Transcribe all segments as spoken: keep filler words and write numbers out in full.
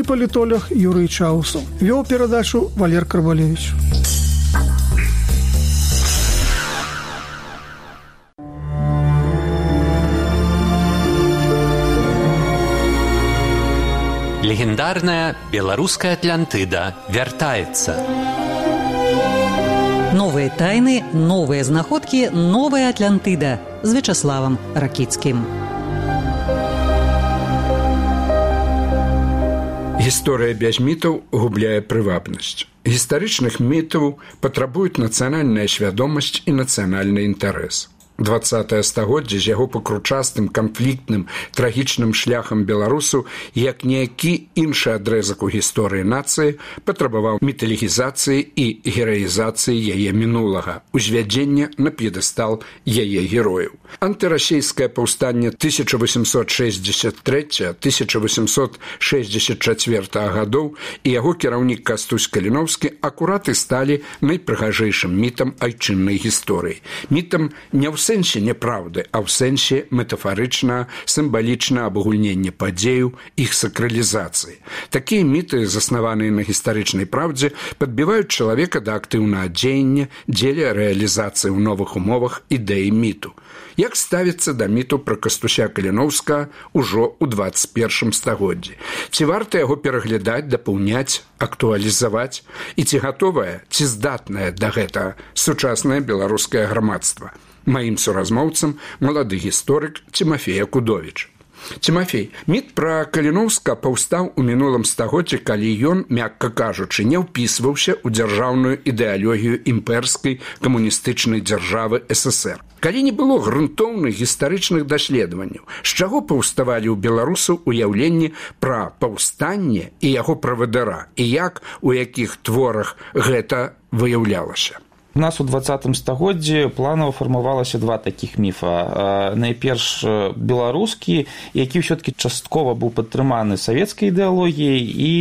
і палітолог Юрый Чаусаў. Вёў перадачу Валер Карбалевіч. Легендарная беларуская Атлантыда вяртаецца. Новыя тайны, новыя знаходкі, новая Атлантыда з Вячаславам Ракіцкім. Гісторыя без мітаў губляе прывабнасць. Гістарычных мітаў патрабуюць нацыянальная свядомасць і нацыянальны інтарэс. дваццатае стагоддзе з яго пакручастым, канфліктным, трагічным шляхам беларусу, як ніякі іншы адрэзак у гісторыі нацыі, патрабаваў міталегізацыі і гераізацыі яе мінулага, узвядзення на п'едэстал яе герояў. Антырасійскае паўстанне тысяча восемьсот шестьдесят третьего — тысяча восемьсот шестьдесят четвёртого гадоў і яго кіраўнік Кастусь Каліноўскі акурат і сталі найпрыгажэйшым мітам айчыннай гісторыі. Мітам не ў сэнсе няправды, а ў сэнсе метафарычна, сімвалічна абагульнення падзеяў, іх сакралізацыі. Такія міты, заснаваныя на гістарычнай праўдзе, падбіваюць чалавека да актыўнага дзеяння дзеля рэалізацыі ў новых умовах ідэі міту. Як ставіцца да міту пра Кастуся Каліноўскага ўжо ў дваццаць першым стагоддзі? Ці варта яго пераглядаць, дапаўняць, актуалізаваць? І ці гатовае, ці здатнае да гэтага сучаснае беларускае грамадства? Маім суразмоўцам малады гісторык Цімафей Акудовіч. Цімафей, міт пра Каліноўска паўстаў у мінулым стагоддзі, калі ён, мякка кажучы, не ўпісваўся ў дзяржаўную ідэалогію імперскай камуністычнай дзяржавы эс эс ер. Калі не было грунтоўных гістарычных даследаванняў, з чаго паўставалі ў беларусаў уяўленні пра паўстанне і яго правадыра, і як, у якіх творах гэта выяўлялася? У нас у двадцатым стагоддзі планава фармавалася два такіх міфа. Найперш беларускі, які ўсё-такі часткова быў падтрыманы савецкай ідэалогіяй і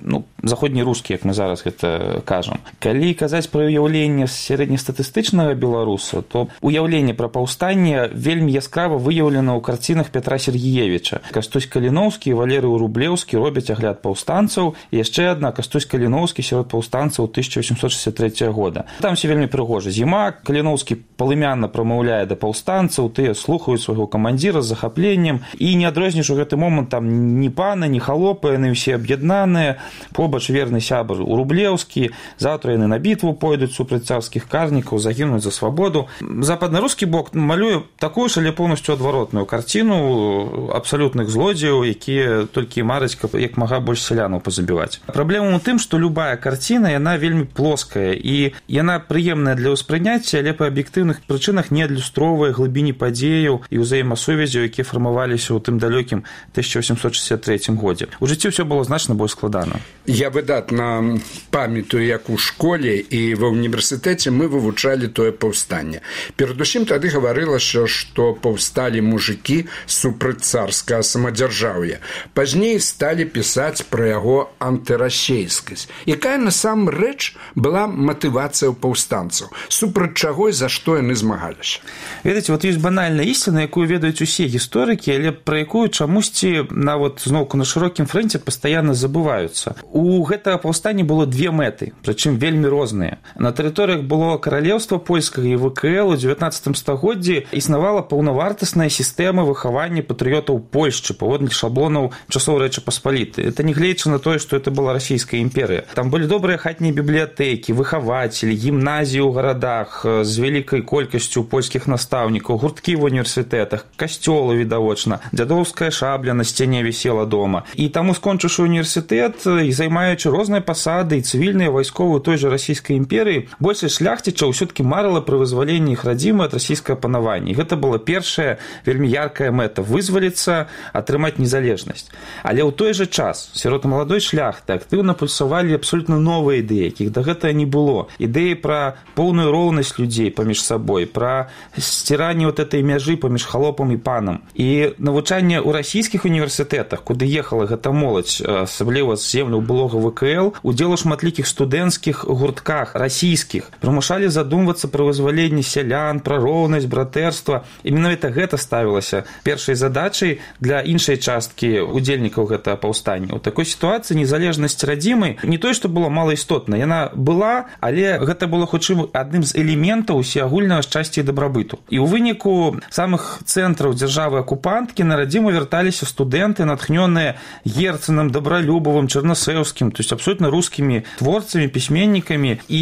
ну, заходнерускі, як мы зараз гэта кажам. Калі казаць пра ўяўленне сярэднестатыстычнага беларуса, то ўяўленне пра паўстанне вельмі яскрава выяўлена ў карцінах Пятра Сергеевіча. Кастусь Каліноўскі і Валерый Рублеўскі робяць агляд паўстанцаў, і яшчэ адна Кастусь Каліноўскі сярод паўстанцаў тысяча восемьсот шестьдесят третьего года. Там вельмі прыгожа. Зіма, Каліноўскі палымянна прамаўляе да паўстанцаў, тыя слухаюць свайго камандзіра з захапленнем, і не адрозніш у гэты момант там ні пана, ні халопы, яны ўсе аб'яднаныя, побач верны сябар Рублеўскі, заўтра яны на бітву пойдуць супраць царскіх карнікаў, загінуць за свабоду. Западнарускі бок малюе такую ж, але поўнасцю адваротную карціну абсалютных злодзеяў, якія толькі мараць, каб як мага больш сялянаў пазабіваць. Праблема ў тым, што любая карціна, яна вельмі плоская, і яна пры прыемная для ўспрыняцця, але па аб'ектыўных прычынах не адлюстроўвае глыбіні падзеяў і ўзаемасувязяў, якія фармаваліся ў тым далёкім тысяча восемьсот шестьдесят третьем годзе. У жыцці ўсё было значна больш складана. Я выдатна памятаю, як у школе і ва ўніверсітэце мы вывучалі тое паўстанне. Перадусім тады гаварылася, што паўсталі мужыкі супраць царскага самадзяржаўя. Пазней сталі пісаць пра яго антырасейскасць. Якая насамрэч была матывацыя ў паўстанцаў? Супраць чаго і за што яны змагаліся? Ведаеце, вот ёсць банальная ісціна, якую ведаюць усе гісторыкі, але пра якую чамусьці нават зноўку на шырокім фрэнце пастаянна забываюцца. У гэтага паўстання было две мэты, прычым вельмі розныя. На тэрыторыях было каралеўства польскага і вэ ка эл у дзевятнаццатым стагоддзі існавала паўнавартасная сістэма выхавання патрыётаў Польшчы паводле шаблонаў часоў Рэчы Паспалітай. Это нягледзячы на тое, што это была расійская імперыя. Там былі добрыя хатнія бібліятэкі, выхавацелі, гімназіі у гарадах з вялікай колькасцю польскіх настаўнікаў, гурткі в універсітэтах, касцёлы відавочна, дзядоўская шабля на сцяне вісела дома. І таму, скончыўшы універсітэт і займаючы розныя пасады і цывільныя вайсковыя той жа расійскай імперыі, большасць шляхцічаў ўсё-такі марыла пра вызваленне іх радзімы ад расійскага панавання. І гэта была першая вельмі яркая мэта — вызваліцца, атрымаць незалежнасць. Але ў той жа час сярод маладой шляхты актыўна пульсавалі абсолютна новыя ідэі, якіх да гэтага не было. Ідэі пра поўную роўнасць людзей паміж сабой, пра сціранне вот этой мяжы паміж халопам і панам. І навучанне ў расійскіх універсітэтах, куды ехала гэта моладзь, асабліва з земляў былога былога ВКЛ, удзел у шматлікіх студэнцкіх гуртках расійскіх, прымушалі задумвацца пра вызваленне сялян, пра роўнасць, братэрства. І менавіта гэта ставілася першай задачай для іншай часткі удзельнікаў гэтага паўстання. У такой сітуацыі незалежнасць радзімы не той, што было малаістотна, яна была, але гэта было хутчэй адным з элементаў усеагульнага шчасця і дабрабыту. І ў выніку самых цэнтраў дзяржавы-акупанткі на радзіму вярталіся студэнты, натхнёныя Герценам, Добролюбовым, Чарнасэўскім, то есть абсолютно рускімі творцамі, пісьменнікамі, і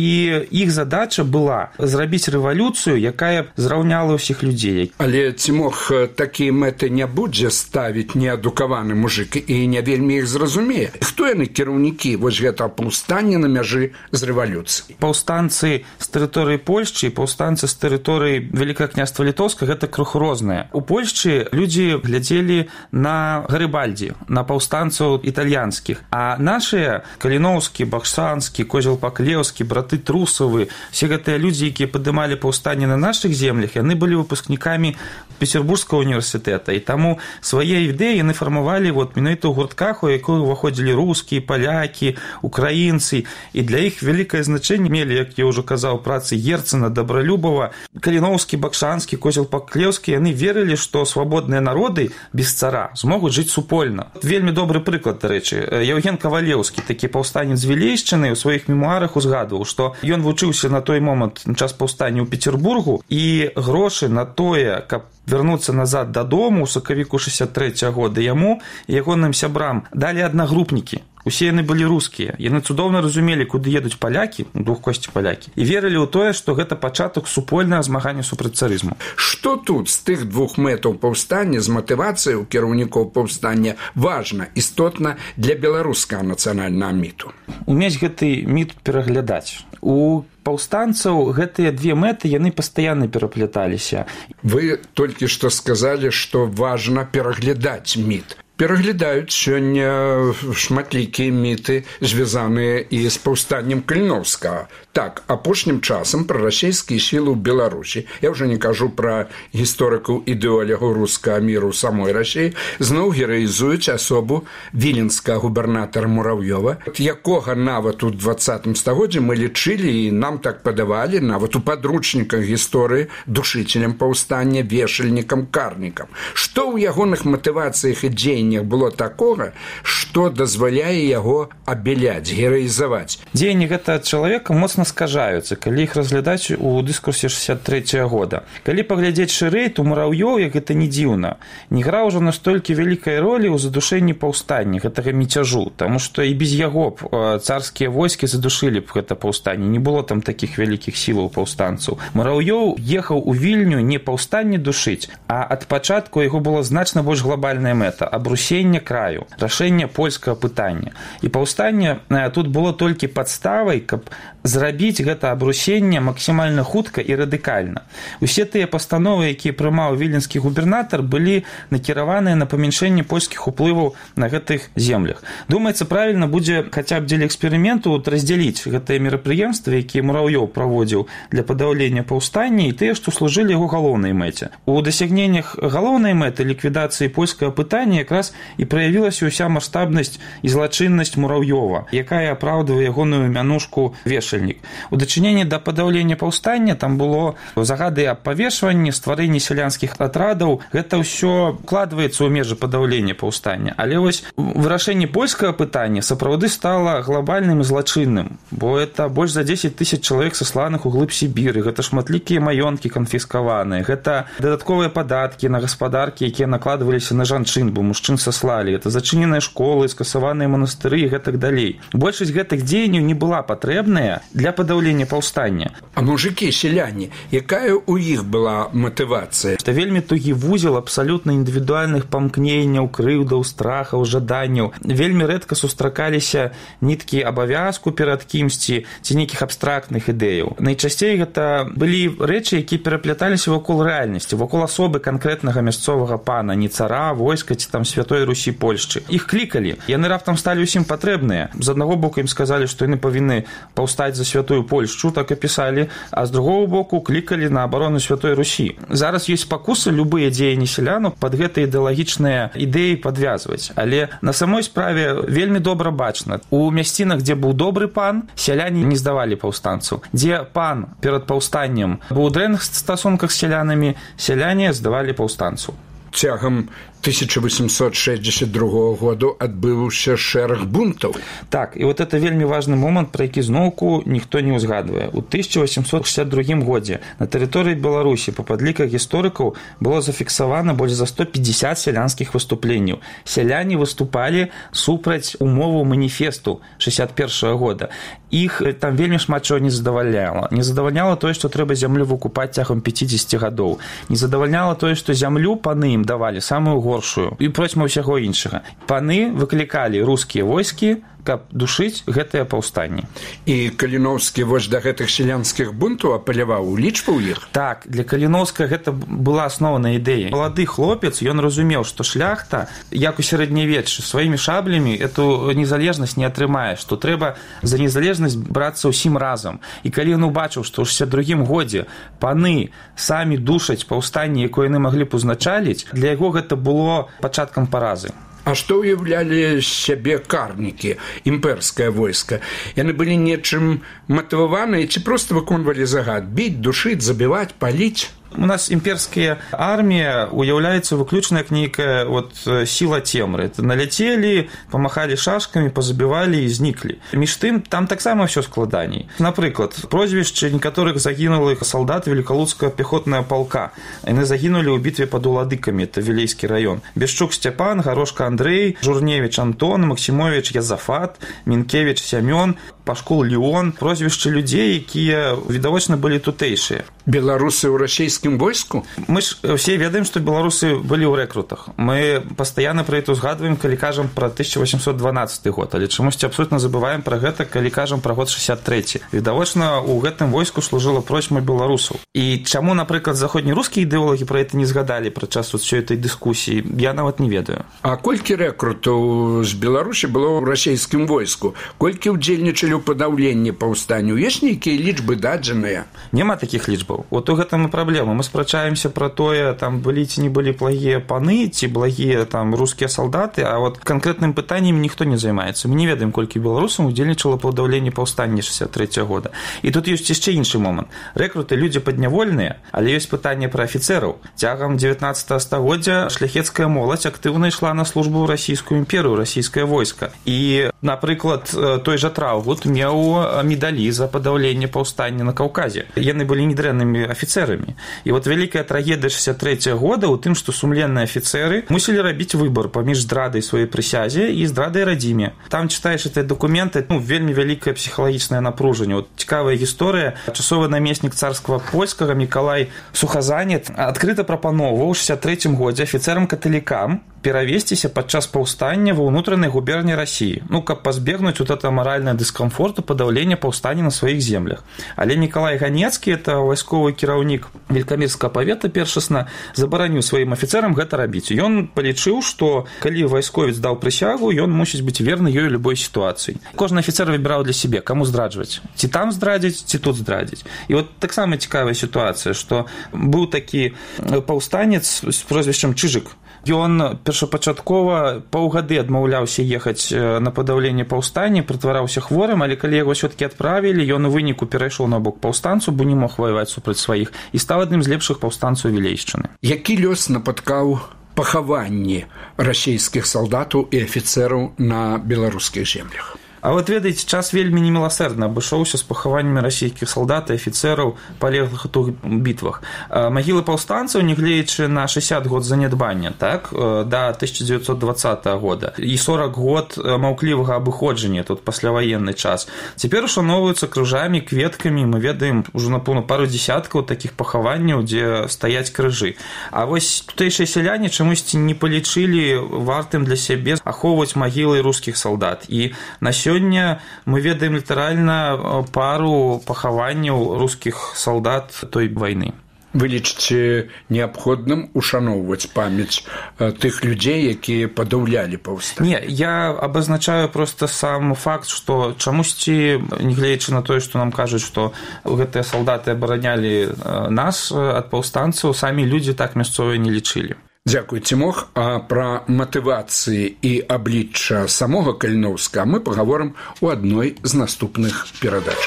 іх задача была зрабіць рэвалюцыю, якая зраўняла ўсіх людзей. Але ці мог такія мэты не будзе ставіць неадукаваны мужык і не вельмі іх зразумее? Хто яны кіраўнікі вось гэтага паўстання на мяжы з рэвалюцыяй? Паўстанцы з тэрыторыі Польшчы і паўстанцы з тэрыторыі Вялікага княства Літоўскага гэта крыху розныя. У Польшчы людзі глядзелі на Гарыбальдзі, на паўстанцаў італьянскіх, а нашыя Каліноўскі, Бахсанскі, Козел-Паклеўскі, браты Трусавы, все гэтыя людзі, якія падымалі паўстанне на нашых землях, яны былі выпускнікамі Петербургскага універсітэта, і таму свае ідэі яны фармавалі вот менавіта ў гуртках, у якіх уваходзілі рускія, палякі, украінцы, і для іх вялікае значэнне мелі, як я ўжо казаў, працы Герцена, Добролюбова, Каліноўскі, Бахсанскі, Козел-Паклеўскі. Яны верылі, што свабодныя народы без цара змогуць жыць супольна. Вельмі добры прыклад, дарэчы, Яўген Кавалеўскі, такі паўстанец з Вілейшчыны, у сваіх мемуарах узгадваў, што ён вучыўся на той момант на час паўстання ў Петербургу, і грошы на тое, каб вярнуцца назад дадому ў сакавіку шэсцьдзясят трэцяга года яму і ягоным сябрам далі аднагрупнікі. Усе яны былі рускія. Яны цудоўна разумелі, куды едуць палякі, двухкосці палякі, і верылі ў тое, што гэта пачатак супольнага змагання супраць царызму. Што тут з тых двух мэтаў паўстання, з матывацыяй у кіраўнікоў паўстання важна, істотна для беларускага нацыянальнага міту? Умець гэты міт пераглядаць. У паўстанцаў гэтыя две мэты, яны пастаянна перапляталіся. Вы толькі што сказалі, што важна пераглядаць міт. Пераглядаюць сёння шматлікія міты, звязаныя і з паўстаннем Каліноўскага. Так, апошнім часам пра расійскія сілы ў Беларусі, я ўжо не кажу пра гісторыкаў ідэолягаў рускага міру ў самой Расіі, зноў гераізуюць асобу віленскага губернатара Мурав'ёва, якога нават у дваццатым стагоддзі мы лічылі і нам так падавалі, нават у падручніках гісторыі, душыцелем паўстання, вешальнікам, карнікам. Што ў ягоных матывацыях і дзеяннях было такога, што дазваляе яго абеляць, гераізаваць? Дзеянні гэтага чалавека моцна скажаюцца, калі іх разглядаць у дыскурсе шэсцьдзясят трэцяга года. Калі паглядзець шырэй, то Мурав'ёў, як гэта не дзіўна, не граў ужо настолькі вялікай ролі ў задушэнні паўстання, гэтага міцяжу, таму што і без яго б царскія войскі задушылі б гэта паўстанне, не было там такіх вялікіх сілаў паўстанцаў. Мурав'ёў ехаў у Вільню не паўстанне душыць, а ад пачатку яго была значна больш глобальная мэта — абрусенне краю, рашэнне польскага пытання. І паўстанне тут было толькі падставай, каб зрабіць гэта абрусенне максімальна хутка і радыкальна. Усе тыя пастановы, якія прымаў віленскі губернатар, былі накіраваныя на памяншэнне польскіх уплываў на гэтых землях. Думаецца, правільна будзе хаця б дзеля эксперыменту раздзяліць гэтыя мерапрыемствы, якія Мурав'ёў праводзіў для падаўлення паўстання, і тыя, што служылі яго галоўнай мэце. У дасягненнях галоўнай мэты ліквідацыі польскага пытання якраз і праявілася ўся маштабнасць і злачыннасць Мурав'ёва, якая апраўдвае ягоную мянушку вешальнік. У дачыненні да падаўлення паўстання там было загады аб павешванні, стварэнні сялянскіх атрадаў. Гэта ўсё вкладваецца ў межы падаўлення паўстання. Але вось вырашэнне польскага пытання сапраўды стала глобальным і злачынным, бо это больш за дзесяць тысяч чалавек сасланых у глыб Сібіры, гэта шматлікія маёнткі канфіскаваныя, гэта дадатковыя падаткі на гаспадаркі, якія накладваліся на жанчын, бо мужчын саслалі, это зачыненыя школы, скасаваныя манастыры і гэтак далей. Большасць гэтых дзеянняў не была патрэбная для падаўлення паўстання. А мужыкі, сяляне, якая ў іх была матывацыя? Гэта вельмі тугі вузел абсалютна індывідуальных памкненняў, крыўдаў, страхаў, жаданняў. Вельмі рэдка сустракаліся ніткі абавязку перад кімсьці ці нейкіх абстрактных ідэяў. Найчасцей гэта былі рэчы, якія перапляталіся вакол рэальнасці, вакол асобы канкрэтнага мясцовага пана, не цара, войска ці там святого святой Русі Польшчы. Іх клікалі. Яны раптам сталі ўсім патрэбныя. З аднаго боку ім сказалі, што яны павінны паўстаць за святую Польшчу, так і пісалі, а з другого боку клікалі на абарону святой Русі. Зараз ёсць спакусы любыя дзеянні сялянаў пад гэтыя ідэалагічныя ідэі падвязваць. Але на самой справе вельмі добра бачна. У мясцінах, дзе быў добры пан, сяляне не здавалі паўстанцаў. Дзе пан перад паўстаннем быў у дрэнных стасунках з сялянамі, сяляне здавалі паўстанцаў. Цягам тысяча восемьсот шестьдесят другого году адбыўся шэраг бунтаў. Так, і вот это вельмі важны момант, пра які зноўку ніхто не ўзгадвае. У тысяча восемьсот шестьдесят другім годзе на тэрыторыі Беларусі па падліках гісторыкаў было зафіксавана больш за сто пятьдесят сялянскіх выступленняў. Сяляне выступалі супраць умоваў маніфесту шестьдесят першага года. Іх там вельмі шмат чого не задавальняла. Не задавальняла тое, што трэба зямлю выкупаць цягам пятьдесят гадоў. Не задавальняла тое, што зямлю паны ім давалі самую горшую і процьма ўсяго іншага. Паны выклікалі рускія войскі, каб душыць гэтыя паўстанні. І Каліноўскі вось да гэтых сялянскіх бунтаў апеляваў, улічваў іх? Так, для Каліноўска гэта была асноўная ідэя. Малады хлопец, ён разумеў, што шляхта, як у сярэднявеччы, сваімі шаблямі эту незалежнасць не атрымае, што трэба за незалежнасць брацца ўсім разам. І калі ён убачыў, што ў шестьдесят другім годзе паны самі душаць паўстанні, якое яны маглі б узначаліць, для яго гэта было пачаткам паразы. А што ўяўлялі сябе карнікі, імперскае войска? Яны былі нечым матываваныя ці проста выконвалі загад? Біць, душыць, забіваць, паліць? У нас імперская армія уяўляецца выключна як нейкая вот сіла цемры. Наляцелі, памахалі шашкамі, пазабівалі і зніклі. Між тым, там таксама ўсё складаней. Напрыклад, прозвішчы некаторых загінулых салдат Велікалуцкага пехотнага палка. Яны загінулі ў бітве пад Уладыкамі, это Вілейскі раён. Бешчук Сцяпан, Гарошка Андрэй, Журневіч Антон, Максімовіч Язафат, Мінкевіч Сямён, Пашкул Леон. Прозвішчы людзей, якія відавочна былі тутэйшыя. Беларусы ў расійскім войску? Мы ж все ведаем, што беларусы былі ў рэкрутах. Мы пастаянна пра гэта узгадваем, калі кажам пра тысяча восемьсот дванаццаты год, але чамусьці абсолютна забываем пра гэта, калі кажам пра год шестьдесят трэці. Відавочна, у гэтым войску служыла процьма беларусаў. І чаму, напрыклад, заходнерускія ідэолагі пра гэта не згадалі падчас усёй этой дыскусіі, я нават не ведаю. А колькі рэкрутаў з Беларусі было ў расійскім войску? Колькі ўдзельнічалі ў падаўленні паўстанню? Ёсць нейкія лічбы дадзеныя? Няма такіх лічбаў. Вот у гэтым і праблема. Мы спрачаемся пра тое, там былі ці не былі благія паны, ці благія там рускія салдаты, а вот канкрэтным пытаннем ніхто не займаецца. Мы не ведаем, колькі беларусаў удзельнічала ў падаўленні паўстання шестьдесят трэцяга года. І тут ёсць яшчэ іншы момант. Рэкруты людзі паднявольныя, але ёсць пытанне пра афіцэраў. Цягам дзевятнаццатага стагоддзя шляхецкая моладзь актыўна ішла на службу ў расійскую імперыю, расійскае войска. І, напрыклад, той жа Траўгут меў медалі за падаўленне паўстання на Каўказе. Яны былі недрэннымі афіцэрамі. І вот вялікая трагедыя шестьдесят трэцяга года ў тым, што сумленныя афіцэры мусілі рабіць выбар паміж здрадай сваёй прысязе і здрадай радзіме. Там чытаеш гэтыя дакументы, ну, вельмі вялікае псіхалагічнае напружанне. Вот цікавая гісторыя. Часовы намеснік царскага польскага Мікалай Сухазанет адкрыта прапановаў у шестьдесят трэцім годзе афіцэрам-каталікам перавесціся падчас паўстання ва ўнутранай губерні Расіі, ну, каб пазбегнуць вот это маральнае дыскамфорту падаўлення паўстання на сваіх землях. Але Мікалай Ганецкі, это вайсковы кіраўнік Велікамірскага павета першасна, забараніў сваім афіцэрам гэта рабіць. Ён палічыў, што калі вайсковец даў прысягу, ён мусіць быць верны ёй любой сітуацыі. Кожны афіцэр выбіраў для сябе, каму здраджваць. Ці там здрадзіць, ці тут здрадзіць. І вот таксама цікавая сітуацыя, што быў такі паўстанец з прозвішчам Чыжык. Ён першапачаткова паўгады адмаўляўся ехаць на падаўленне паўстання, прытвараўся хворым, але калі яго ўсё-такі адправілі, ён у выніку перайшоў на бок паўстанцу, бо не мог ваяваць супраць сваіх, і стаў адным з лепшых паўстанцаў Вілейшчыны. Які лёс напаткаў пахаванні расійскіх салдатаў і афіцэраў на беларускіх землях? А вот, ведаеце, час вельмі неміласэрдна абышоўся з пахаваннямі расійскіх салдат і афіцэраў, палеглых у тых бітвах. Магілы паўстанцаў, нягледзячы на шестьдесят год занядбання, так, да тысяча девятьсот двадцатага года, і сорок год маўклівага абыходжання, тут пасляваенны час, цяпер ушаноўваюцца крыжамі, кветкамі, мы ведаем ужо, напэўна, пару дзесяткаў такіх пахаванняў, дзе стаяць крыжы. А вось тутэйшыя сяляне чамусьці не палічылі вартым для сябе ахоўваць магілы рускіх салдат. І на Сёння мы ведаем літаральна пару пахаванняў рускіх салдат той вайны. Вы лічыце неабходным ушаноўваць памяць тых людзей, якія падаўлялі паўстанне? Не, я абазначаю проста сам факт, што чамусьці, нягледзячы на тое, што нам кажуць, што гэтыя салдаты абаранялі нас ад паўстанцаў, самі людзі так мясцовыя не лічылі. Дзякуй, Цімох. А пра матывацыі і аблічча самога Каліноўска мы пагаворым у адной з наступных перадач.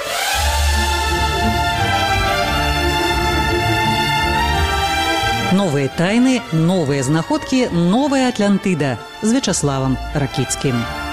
Новые тайны, новые знаходкі, новая Атлантыда з Вячаславам Ракіцкім.